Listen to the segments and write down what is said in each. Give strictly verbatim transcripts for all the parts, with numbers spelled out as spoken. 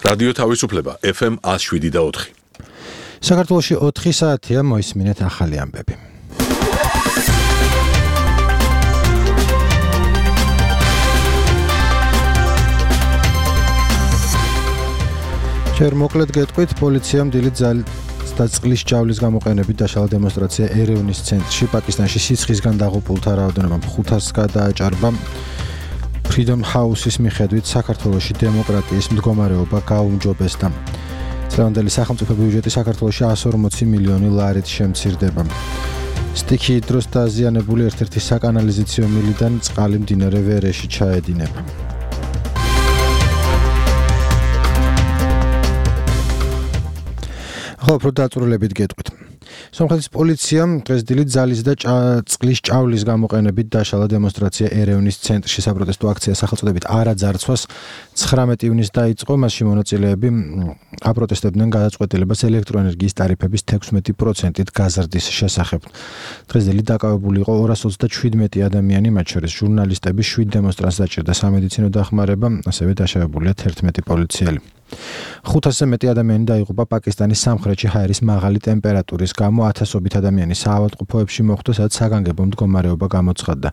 რადიო თავისუფლება F M one oh seven და four. საქართველოში ოთხი საათია, მოისმინეთ ახალი ამბები. ჯერ მოკლედ გეტყვით, პოლიციამ დილით და წყლის ჭავლის გამოყენებით დაშალა დემონსტრაცია ერევნის ცენტრში პაკისტანში სიცხისგან დაღუპულთა რაოდენობა ხუთას გადააჭარბა. Freedom House-ის მიხედვით საქართველოში დემოკრატიის მდგომარეობა გაუმჯობესდა. წლევანდელი სახელმწიფო ბიუჯეტი საქართველოში one hundred forty მილიონი ლარით შემცირდება. სტიქი დროს დაზიანებული ერთ-ერთი საკანალიზაციო მილიდან წყალი მდინარე ვერეში ჩაედინება. ხო, პროდაცურლებით გეტყვით. სომხეთის პოლიციამ დღეს დილით ძალის და წყლის ჭავლის გამოყენებით დაშალა დემონსტრაცია ერევნის ცენტრში საპროტესტო აქცია სახელწოდებით არა ძარცვას ცხრამეტი ივნისს დაიწყო. მასში მონაწილეები აპროტესტებდნენ გადაწყვეტილებას ელექტროენერგიის ტარიფების თექვსმეტი პროცენტით გაზრდის შესახებ. დღეს დილით დაკავებული იყო ორას ოცდაშვიდმეტი ადამიანი, მათ შორის ჟურნალისტები, შვიდ დემონსტრანტს დაჭირდა სამედიცინო დახმარება, ასევე დაშავებულია თერთმეტი პოლიციელი. ხუთასზე მეტი ადამიანი დაიღუპა პაკისტანის სამხრეთში ჰაერის მაღალი ტემპერატურის გამო, ათასობით ადამიანი საავადმყოფოებში მოხვდა, სადაც საგანგებო მდგომარეობა გამოცხადდა.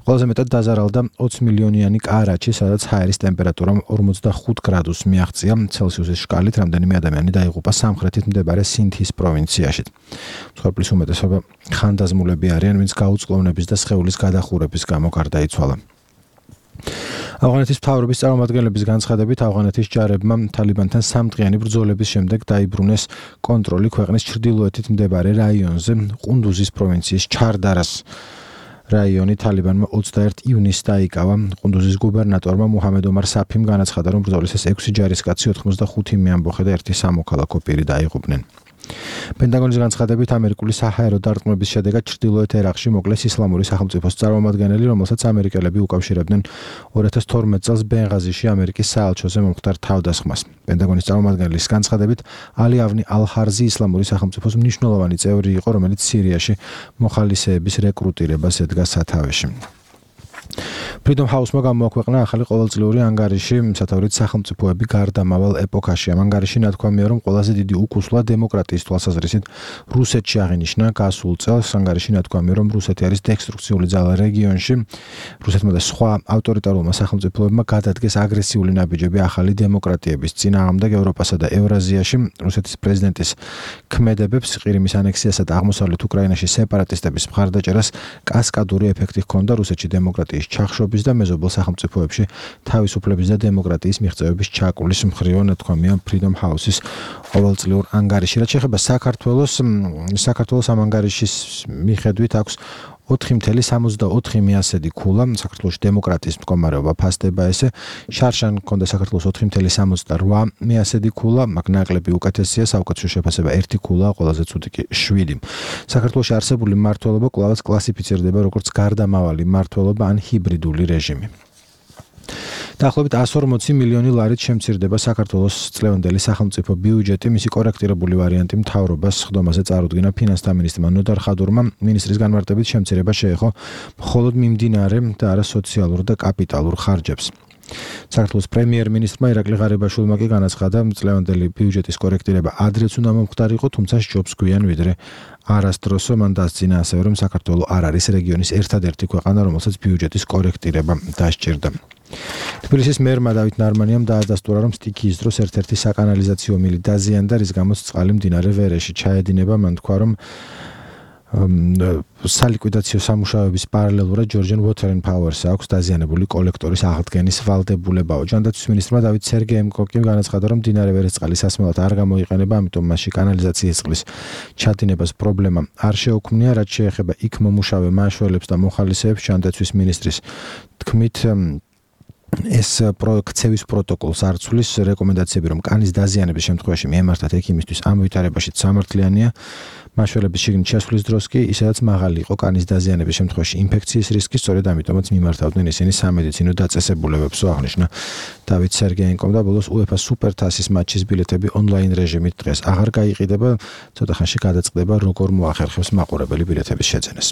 ყველაზე მეტად დაზარალდა ოცი მილიონიანი კარაჩი, სადაც ჰაერის ტემპერატურა ორმოცდახუთ გრადუსს მიაღწია ცელსიუსის შკალით. რამდენიმე ადამიანი დაიღუპა სამხრეთით მდებარე სინთის პროვინციაში. მსხვერპლის უმეტესობა ხანდაზმულები არიან, ვინც გაუწყლოვნების და სხეულის გადახურების გამო გარდაიცვალა. ავღანეთის მთავრობის წარმომადგენლების განცხადებით, ავღანეთის ჯარებმა თალიბანთან სამდღიანი ბრძოლების შემდეგ დაიბრუნეს კონტროლი ქვეყნის ჩრდილოეთით მდებარე რაიონზე, ყუნდუზის პროვინციის ჩარდარას რაიონი თალიბანმა ოცდაერთი ივნისს დაიკავა. ყუნდუზის გუბერნატორმა მუჰამედ ომარ საფიმ განაცხადა, რომ ბრძოლის ეს ექვსი ჯარისკაცი, ოთხმოცდახუთი მეამბოხე და ერთი სამოქალაქო პირი დაიღუპნენ. პენტაგონის განცხადებით, ამერიკული საჰაერო დარტყმების შედეგად ჩრდილოეთ ერაყში მოკლეს ისლამური სახელმწიფოს წარმომადგენელი, რომელსაც ამერიკელები უკავშირებდნენ ორი ათას თორმეტ წელს ბენღაზიში ამერიკის საელჩოზე მომხდარ თავდასხმას. პენტაგონის წარმომადგენლის განცხადებით, ალი ავნი ალ-ჰარზი ისლამური სახელმწიფოს მნიშვნელოვანი წევრი იყო, რომელიც სირიაში მოხალისეების რეკრუტირებას ედგა სათავეში. Freedom House-მა გამოაქვეყნა ახალი ყოველწლიური ანგარიში, სათავრით სახელმწიფოები გარდამავალ ეპოქაში. ამ ანგარიში ნათქვამია, რომ ყველაზე დიდი უკუსლა დემოკრატიის თვალსაზრისით რუსეთში აღინიშნა გასულ წელს. ანგარიში ნათქვამია, რომ რუსეთი არის დესტრუქციული ძალა რეგიონში. რუსეთმა და სხვა ავტორიტარულმა სახელმწიფოებმა გადადგეს აგრესიული ნაბიჯები ახალი დემოკრატიების წინააღმდეგ ევროპასა და ევრაზიაში. რუსეთის პრეზიდენტის ქმედებებს ყირიმის ანექსიასა და აღმოსავლეთ უკრაინაში სეპარატისტების მხარდაჭერას კასკადური ეფექტი ჰქონდა რუსეთში დემოკრატიის ჩახშობის და მეზობელ სახელმწიფოებში თავისუფლების და დემოკრატიის მიღწევების ჩაკულის მხრივ, ნათქვამია Freedom House-ის ყოველწლიურ ანგარიში. რაც შეეხება საქართველოს, საქართველოს ამ ანგარიშის მიხედვით აქვს ოთხი ათეული სამოცდაოთხი მიასედი ქულა. საქართველოს დემოკრატიის მდგომარეობა ფასდება ესე. შარშან ჰქონდა საქართველოს ოთხი ათეული სამოცდარვა მიასედი ქულა, მაგ ნაკლები უკეთესია, საუკეთესო შეფასება ერთი ქულა, ყველაზე ცუდი კი შვიდი. საქართველოში არსებული მმართველობა კვლავაც კლასიფიცირდება როგორც გარდამავალი მმართველობა ან ჰიბრიდული რეჟიმი. დაახლოებით one hundred forty მილიონი ლარით შემცირდება საქართველოს წლევანდელი სახელმწიფო ბიუჯეტი. მისი კორექტირებული ვარიანტი მთავრობას ხდომაზე წარუდგინა ფინანსთა მინისტრმა ნოდარ ხადურმა. მინისტრის განმარტებით შემცირება შეეხო მხოლოდ მიმდინარე და არა სოციალურ და კაპიტალურ ხარჯებს. საქართველოს პრემიერ-მინისტრმა ირაკლი ღარიბაშვილმა კი განაცხადა, წლევანდელი ბიუჯეტის კორექტირება ადრეც უნდა მომხდარიყო, თუმცა სჯობს გვიან ვიდრე არასდროსო. მან დასძინა ასევე, რომ საქართველო არ არის რეგიონის ერთადერთი ქვეყანა, რომელსაც ბიუჯეტის კორექტირება დასჭირდა. თბილისის მერმა დავით ნარმანიამ დაადასტურა, რომ სტიქიის დროს ერთ-ერთი საკანალიზაციო მილი დაზიანდა, რის გამოც წყალი მდინარე ვერეში ჩაედინება. მან თქვა, რომ სალიკვიდაციო სამუშაოების პარალელურად Georgian Water and Power-ს აქვს დაზიანებული კოლექტორის აღდგენის ვალდებულებაო. ჯანდაცვის მინისტრმა დავით სერგეემკო კი განაცხადა, რომ მდინარე ვერეს წყალი სასმელად არ გამოიყენება, ამიტომ მასში კანალიზაციის წყლის ჩადინებას პრობლემა არ შეუქმნია. რაც შეეხება იქ მომუშავე მაშველებს და მოხალისეებს, ჯანდაცვის მინისტრის თქმით, ეს ქცევის პროტოკოლს არ ცვლის. რეკომენდაციები, რომ კანის დაზიანების შემთხვევაში მიემართათ ექიმისთვის, ამ ვითარებაში სამართლიანია. მაშველების შიგნით შესვლის დროს კი ისედაც მაღალი იყო კანის დაზიანების შემთხვევაში ინფექციის რისკი, სწორედ ამიტომაც მიმართავდნენ ისინი სამედიცინო დაწესებულებებსო, აღნიშნა დავით სერგეენკომ. და ბოლოს UEFA სუპერთასის მატჩის ბილეთები ონლაინ რეჟიმით დღეს აღარ გაიყიდება. ცოტა ხანში გადაწყდება, როგორ მოახერხებს მაყურებელი ბილეთების შეძენას.